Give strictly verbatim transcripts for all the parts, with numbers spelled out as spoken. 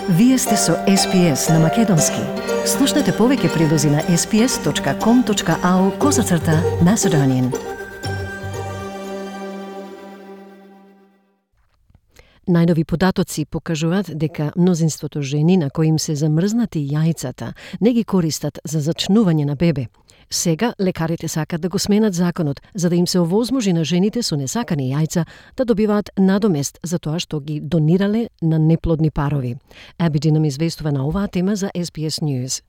Вие сте со Ес Пи Ес на Македонски. Слушнете повеќе прилози на ес пи ес точка ком точка ау козацрта Macedonian. Најнови податоци покажуваат дека мнозинството жени на кои им се замрзнати јајцата не ги користат за зачнување на бебе. Сега лекарите сакат да го сменат законот за да им се овозможи на жените со несакани јајца да добиваат надомест за тоа што ги донирале на неплодни парови. Абиди нам известува на оваа тема за Ес Би Ес News.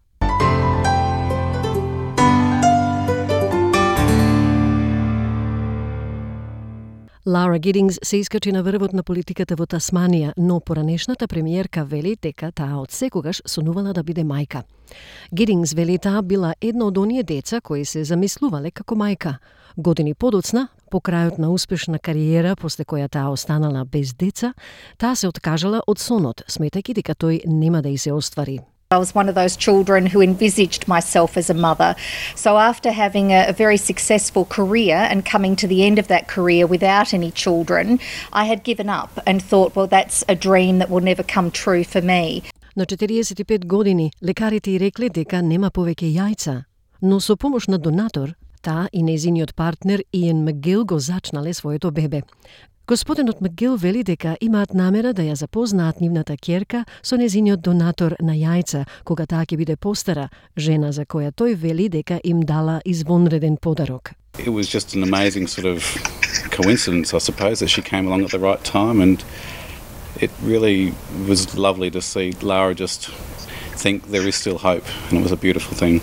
Лаура Гидингс се искачи на врвот на политиката во Тасманија, но поранешната премиерка вели дека таа од секогаш сонувала да биде мајка. Гидингс вели таа била едно од оние деца кои се замислувале како мајка. Години подоцна, по крајот на успешна кариера, после која таа останала без деца, таа се откажала од сонот, сметајќи дека тој нема да и се оствари. I was one of those children who envisaged myself as a mother. So after having a, a very successful career and coming to the end of that career without any children, I had given up and thought, well, that's a dream that will never come true for me. На четириесет и пет години лекарите и рекле дека нема повеќе јајца, но со помош на донатор, таа и нејзиниот партнер Иен Макгил го зачнале своето бебе. Господинот Макгил вели дека имаат намера да ја запознаат нивната ќерка со нејзиниот донатор на јајца, кога таа ќе биде постара, жена за која тој вели дека им дала извонреден подарок. It was just an amazing sort of coincidence, I suppose, that she came along at the right time, and it really was lovely to see Laura just think there is still hope, and it was a beautiful thing.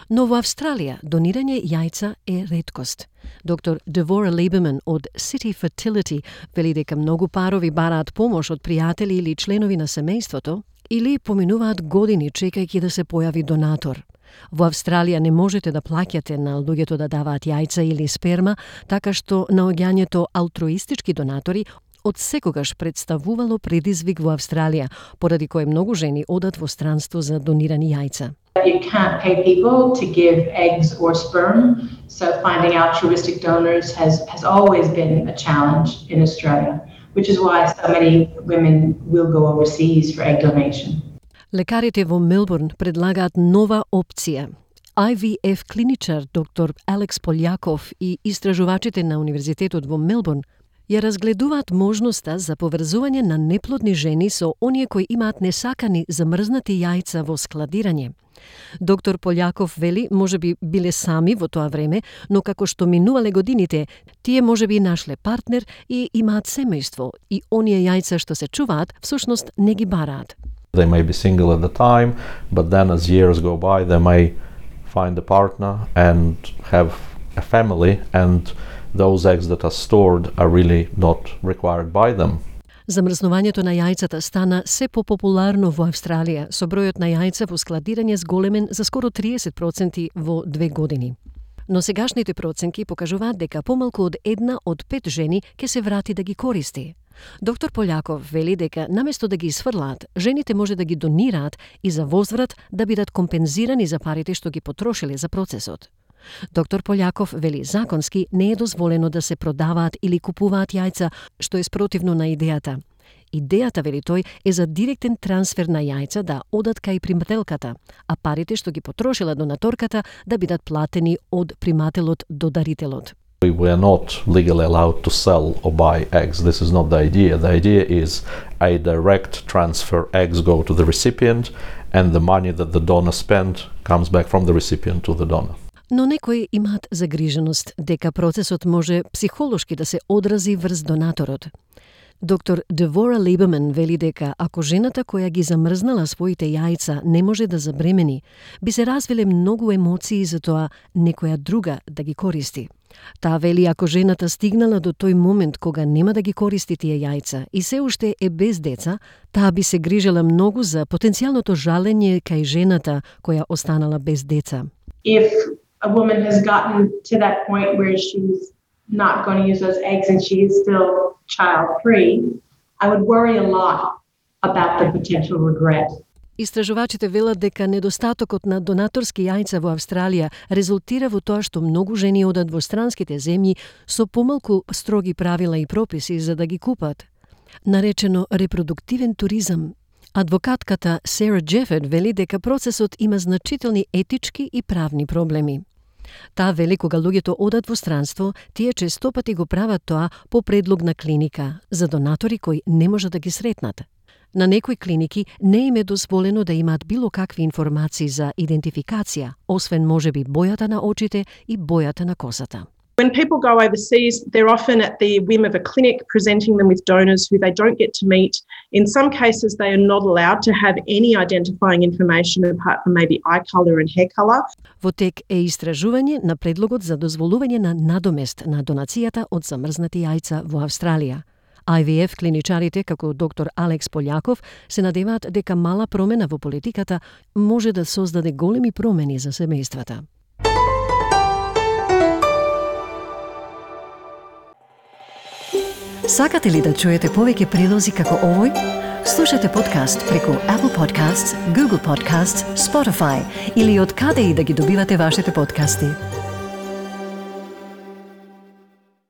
Но во Австралија донирање јајца е реткост. Доктор Девора Либерман од City Fertility вели дека многу парови бараат помош од пријатели или членови на семејството или поминуваат години чекајќи да се појави донатор. Во Австралија не можете да плаќате на луѓето да даваат јајца или сперма, така што наоѓањето алтруистички донатори од секогаш представувало предизвик во Австралија, поради кое многу жени одат во странство за донирани јајца. You can't pay people to give eggs or sperm, so finding altruistic donors has, has always been a challenge in Australia, which is why so many women will go overseas for egg donation. Лекарите во Мелбурн предлагаат нова опција. Ай Ви Еф клиничар доктор Алекс Полјаков и истражувачите на Универзитетот во Мелбурн ја разгледуваат можноста за поврзување на неплодни жени со оние кои имаат несакани замрзнати јајца во складирање. Доктор Полјаков вели можеби биле сами во тоа време, но како што минувале годините, тие можеби нашле партнер и имаат семејство и оние јајца што се чуваат, всушност не ги бараат. They may be single at the time, but then as years go by, they may find a partner and have a family, and those eggs that are stored are really not required by them. Замрзнувањето на јајцата стана се попопуларно во Австралија, со бројот на јајца во складирање зголемен за скоро триесет проценти во две години. Но сегашните проценки покажуваат дека помалку од една од пет жени ќе се врати да ги користи. Доктор Полјаков вели дека наместо да ги сфрлаат, жените може да ги донираат и за возврат да бидат компензирани за парите што ги потрошиле за процесот. Доктор Полјаков вели законски не е дозволено да се продаваат или купуваат јајца, што е спротивно на идејата. Идејата, вели тој, е за директен трансфер на јајца да одат кај примателката, а парите што ги потрошила донаторката да бидат платени од примателот до дарителот. We are not legally allowed to sell or buy eggs. This is not the idea. The idea is a direct transfer. Eggs go to the recipient and the money that the donor spent comes back from the recipient to the donor. Но некои имаат загриженост дека процесот може психолошки да се одрази врз донаторот. Доктор Девора Либерман вели дека ако жената која ги замрзнала своите јајца не може да забремени, би се развиле многу емоции за тоа некоја друга да ги користи. Таа вели ако жената стигнала до тој момент кога нема да ги користи тие јајца и се уште е без деца, таа би се грижела многу за потенцијалното жалење кај жената која останала без деца. If a woman has gotten to that point where she's not going to use those eggs and she is still child-free, I would worry a lot about the potential regret. Истражувачите велат дека недостатокот на донаторски јајца во Австралија резултира во тоа што многу жени одат во странските земји со помалку строги правила и прописи за да ги купат. Наречено репродуктивен туризам, Адвокатката Сара Джефет вели дека процесот има значителни етички и правни проблеми. Таа вели кога луѓето одат во странство, тие честопати го прават тоа по предлог на клиника, за донатори кои не можат да ги сретнат. На некои клиники не им е дозволено да имаат било какви информации за идентификација, освен можеби бојата на очите и бојата на косата. When people go overseas, they're often at the whim of a clinic presenting them with donors who they don't get to meet. In some cases, they are not allowed to have any identifying information apart from maybe eye colour and hair colour. Во тек е истражување на предлогот за дозволување на надомест на донацијата од замрзнати јајца во Австралија. Ай Ви Еф клиничарите, како доктор Алекс Полјаков, се надеваат дека мала промена во политиката може да создаде големи промени за семејствата. Сакате ли да чуете повеќе прилози како овој? Слушате подкаст преку Apple Podcasts, Google Podcasts, Spotify или од каде и да ги добивате вашите подкасти.